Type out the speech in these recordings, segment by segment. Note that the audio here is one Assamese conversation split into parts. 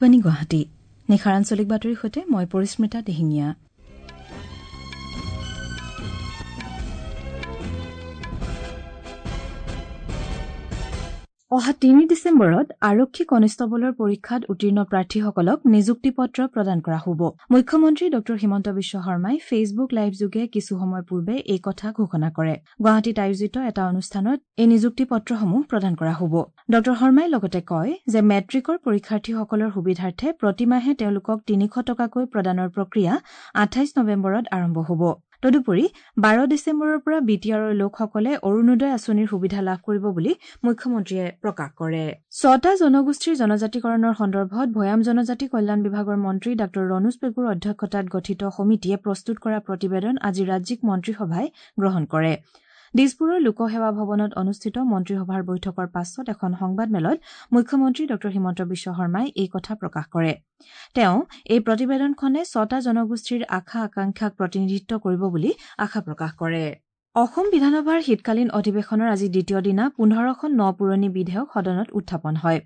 গুৱাহাটী নিশাৰ আঞ্চলিক বাতৰিৰ সৈতে মই পৰিস্মিতা দিহিঙীয়া। অহা ৩ ডিচেম্বৰত আৰক্ষী কনিষ্টবলৰ পৰীক্ষাত উত্তীৰ্ণ প্ৰাৰ্থীসকলক নিযুক্তি পত্ৰ প্ৰদান কৰা হ'ব। মুখ্যমন্ত্ৰী ড হিমন্ত বিশ্ব শৰ্মাই ফেচবুক লাইভযোগে কিছু সময় পূৰ্বে এই কথা ঘোষণা কৰে। গুৱাহাটীত আয়োজিত এটা অনুষ্ঠানত এই নিযুক্তি পত্ৰসমূহ প্ৰদান কৰা হ'ব। ড শৰ্মাই লগতে কয় যে মেট্ৰিকৰ পৰীক্ষাৰ্থীসকলৰ সুবিধাৰ্থে প্ৰতিমাহে তেওঁলোকক ৩০০ টকাকৈ প্ৰদানৰ প্ৰক্ৰিয়া ২৮ নৱেম্বৰত আৰম্ভ হ'ব। তদুপৰি ১২ ডিচেম্বৰৰ পৰা বি টি আৰৰ লোকসকলে অৰুণোদয় আঁচনিৰ সুবিধা লাভ কৰিব বুলি মুখ্যমন্ত্ৰীয়ে প্ৰকাশ কৰে। ছটা জনগোষ্ঠীৰ জনজাতিকৰণৰ সন্দৰ্ভত ভৈয়াম জনজাতি কল্যাণ বিভাগৰ মন্ত্ৰী ডাঃ ৰণোজ পেগুৰ অধ্যক্ষতাত গঠিত সমিতিয়ে প্ৰস্তুত কৰা প্ৰতিবেদন আজি ৰাজ্যিক মন্ত্ৰীসভাই গ্ৰহণ কৰে। দিছপুৰৰ লোকসেৱা ভৱনত অনুষ্ঠিত মন্ত্ৰীসভাৰ বৈঠকৰ পাছত এখন সংবাদমেলত মুখ্যমন্ত্ৰী ড হিমন্ত বিশ্ব শৰ্মাই এই কথা প্ৰকাশ কৰে। তেওঁ এই প্ৰতিবেদনখনে ছটা জনগোষ্ঠীৰ আশা আকাংক্ষাক প্ৰতিনিধিত্ব কৰিব বুলি আশা প্ৰকাশ কৰে। অসম বিধানসভাৰ শীতকালীন অধিৱেশনৰ আজি দ্বিতীয় দিনা ১৫খন ন পুৰণি বিধেয়ক সদনত উত্থাপন হয়।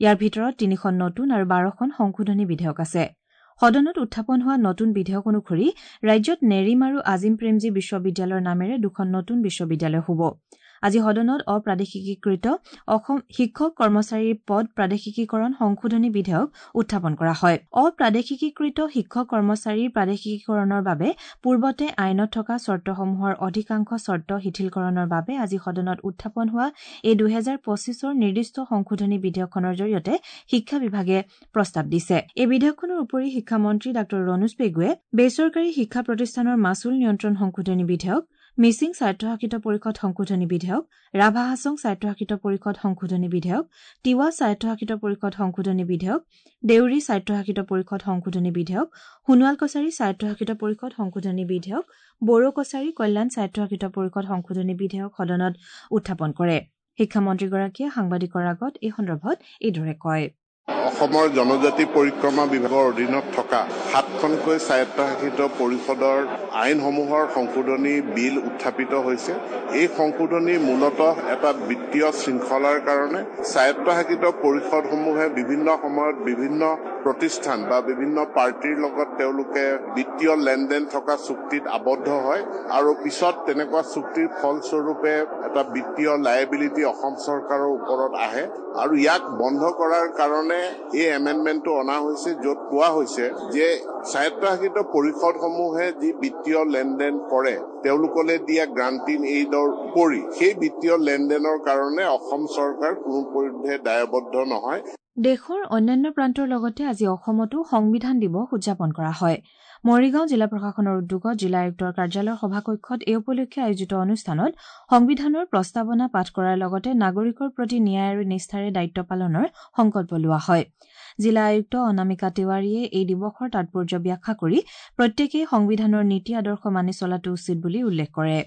ইয়াৰ ভিতৰত ৩খন নতুন আৰু ১২খন সংশোধনী বিধেয়ক আছে। সদনত উত্থাপন হোৱা নতুন বিধেয়ক অনুসৰি ৰাজ্যত নেৰিম আৰু আজিম প্ৰেমজী বিশ্ববিদ্যালয়ৰ নামেৰে দুখন নতুন বিশ্ববিদ্যালয় হ'ব। আজি সদনত অপ্ৰাদেশিকীকৃত অসম শিক্ষক কৰ্মচাৰীৰ পদ প্ৰাদেশিকীকৰণ সংশোধনী বিধেয়ক উত্থাপন কৰা হয়। অপ্ৰাদেশিকীকৃত শিক্ষক কৰ্মচাৰীৰ প্ৰাদেশিকীকৰণৰ বাবে পূৰ্বতে আইনত থকা চৰ্তসমূহৰ অধিকাংশ চৰ্ত শিথিলকৰণৰ বাবে আজি সদনত উত্থাপন হোৱা এই ২০২৫ৰ নিৰ্দিষ্ট সংশোধনী বিধেয়কখনৰ জৰিয়তে শিক্ষা বিভাগে প্ৰস্তাৱ দিছে। এই বিধেয়কখনৰ উপৰি শিক্ষামন্ত্ৰী ডাঃ ৰণোজ পেগুৱে বেচৰকাৰী শিক্ষা প্ৰতিষ্ঠানৰ মাচুল নিয়ন্ত্ৰণ সংশোধনী বিধেয়ক, মিচিং স্বায়ত্তশাসিত পৰিষদ সংশোধনী বিধেয়ক, ৰাভা হাছং স্বায়ত্তশাসিত পৰিষদ সংশোধনী বিধেয়ক, তিৱা স্বায়ত্তশাসিত পৰিষদ সংশোধনী বিধেয়ক, দেউৰী স্বায়ত্তশাসিত পৰিষদ সংশোধনী বিধেয়ক, সোণোৱাল কছাৰী স্বায়ত্তশাসিত পৰিষদ সংশোধনী বিধেয়ক, বড়ো কছাৰী কল্যাণ স্বায়ত্তশাসিত পৰিষদ সংশোধনী বিধেয়ক সদনত উত্থাপন কৰে। শিক্ষামন্ত্ৰীগৰাকীয়ে সাংবাদিকৰ আগত এই সন্দৰ্ভত এইদৰে কয়। অসমৰ জনজাতি পৰিক্ৰমা বিভাগৰ অধীনত থকা ৭খনকৈ স্বায়ত্তশাসিত পৰিষদৰ আইনসমূহৰ সংশোধনী বিল উত্থাপিত হৈছে। এই সংশোধনী মূলতঃ এটা বিত্তীয় শৃংখলাৰ কাৰণে স্বায়ত্তশাসিত পৰিষদসমূহে বিভিন্ন সময়ত বিভিন্ন প্ৰতিষ্ঠান বা বিভিন্ন পাৰ্টীৰ লগত তেওঁলোকে বিত্তীয় লেনদেন থকা চুক্তিত আবদ্ধ হয় আৰু পিছত তেনেকুৱা চুক্তিৰ ফলস্বৰূপে এটা বিত্তীয় লাইবিলিটি অসম চৰকাৰৰ ওপৰত আহে আৰু ইয়াক বন্ধ কৰাৰ কাৰণে এই এমেণ্ডমেণ্টটো অনা হৈছে, য'ত কোৱা হৈছে যে স্বায়ত্তশাসিত পৰিষদসমূহে যি বিত্তীয় লেনদেন কৰে তেওঁলোকলৈ দিয়া গ্ৰাণ্ট ইন এইডৰ উপৰি সেই বিত্তীয় লেনদেনৰ কাৰণে অসম চৰকাৰ কোনো পৰিধে দায়বদ্ধ নহয়। দেশৰ অন্যান্য প্ৰান্তৰ লগতে আজি অসমতো সংবিধান দিৱস উদযাপন কৰা হয়। মৰিগাঁও জিলা প্ৰশাসনৰ উদ্যোগত জিলা আয়ুক্তৰ কাৰ্যালয়ৰ সভাকক্ষত এই উপলক্ষে আয়োজিত অনুষ্ঠানত সংবিধানৰ প্ৰস্তাৱনা পাঠ কৰাৰ লগতে নাগৰিকৰ প্ৰতি ন্যায় আৰু নিষ্ঠাৰে দায়িত্ব পালনৰ সংকল্প লোৱা হয়। জিলা আয়ুক্ত অনামিকা তিৱাৰীয়ে এই দিৱসৰ তাৎপৰ্য ব্যাখ্যা কৰি প্ৰত্যেকেই সংবিধানৰ নীতি আদৰ্শ মানি চলাটো উচিত বুলি উল্লেখ কৰে।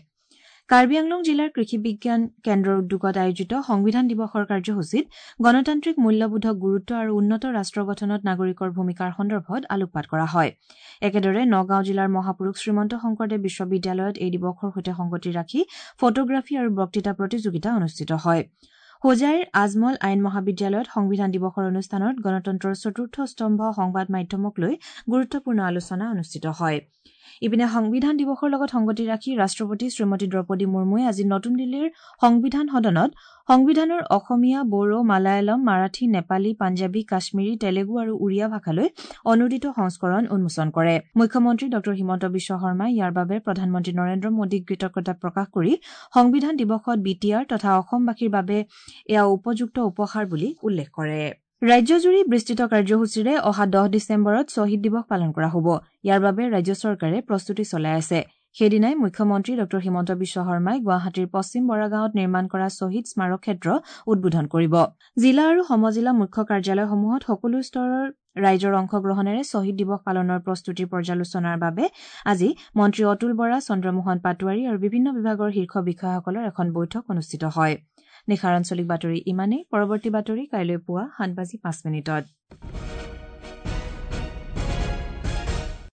কাৰ্বি আংলং জিলাৰ কৃষি বিজ্ঞান কেন্দ্ৰৰ উদ্যোগত আয়োজিত সংবিধান দিৱসৰ কাৰ্যসূচীত গণতান্ত্ৰিক মূল্যবোধক গুৰুত্ব আৰু উন্নত ৰাষ্ট্ৰ গঠনত নাগৰিকৰ ভূমিকাৰ সন্দৰ্ভত আলোকপাত কৰা হয়। একেদৰে নগাঁও জিলাৰ মহাপুৰুষ শ্ৰীমন্ত শংকৰদেৱ বিশ্ববিদ্যালয়ত এই দিৱসৰ সৈতে সংগতি ৰাখি ফটোগ্ৰাফী আৰু বক্তৃতা প্ৰতিযোগিতা অনুষ্ঠিত হয়। হোজাইৰ আজমল আইন মহাবিদ্যালয়ত সংবিধান দিৱসৰ অনুষ্ঠানত গণতন্ত্ৰৰ চতুৰ্থ স্তম্ভ সংবাদ মাধ্যমক লৈ গুৰুত্বপূৰ্ণ আলোচনা অনুষ্ঠিত হয়। ইপিনে সংবিধান দিৱসৰ লগত সংগতি ৰাখি ৰাষ্ট্ৰপতি শ্ৰীমতী দ্ৰৌপদী মুৰ্মুৱে আজি নতুন দিল্লীৰ সংবিধান সদনত সংবিধানৰ অসমীয়া, বড়ো, মালায়ালম, মাৰাঠী, নেপালী, পাঞ্জাৱী, কাশ্মীৰী, তেলেগু আৰু উৰিয়া ভাষালৈ অনুদিত সংস্কৰণ উন্মোচন কৰে। মুখ্যমন্ত্ৰী ড হিমন্ত বিশ্ব শৰ্মাই ইয়াৰ বাবে প্ৰধানমন্ত্ৰী নৰেন্দ্ৰ মোদীক কৃতজ্ঞতা প্ৰকাশ কৰি সংবিধান দিৱসত বি টি আৰ তথা অসমবাসীৰ বাবে এয়া উপযুক্ত উপহাৰ বুলি উল্লেখ কৰে। ৰাজ্যজুৰি বিস্তৃত কাৰ্যসূচীৰে অহা ১০ ডিচেম্বৰত শ্বহীদ দিৱস পালন কৰা হ'ব। ইয়াৰ বাবে ৰাজ্য চৰকাৰে প্ৰস্তুতি চলাই আছে। সেইদিনাই মুখ্যমন্ত্ৰী ড হিমন্ত বিশ্ব শৰ্মাই গুৱাহাটীৰ পশ্চিম বৰাগাঁৱত নিৰ্মাণ কৰা শ্বহীদ স্মাৰক ক্ষেত্ৰ উদ্বোধন কৰিব। জিলা আৰু সমজিলা মুখ্য কাৰ্যালয়সমূহত সকলো স্তৰৰ ৰাইজৰ অংশগ্ৰহণেৰে শ্বহীদ দিৱস পালনৰ প্ৰস্তুতিৰ পৰ্যালোচনাৰ বাবে আজি মন্ত্ৰী অতুল বৰা, চন্দ্ৰমোহন পাটোৱাৰী আৰু বিভিন্ন বিভাগৰ শীৰ্ষ বিষয়াসকলৰ এখন বৈঠক অনুষ্ঠিত হয়। নিশাৰ আঞ্চলিক বাতৰি ইমানেই। পৰৱৰ্তী বাতৰি কাইলৈ পুৱা ৭:০৫।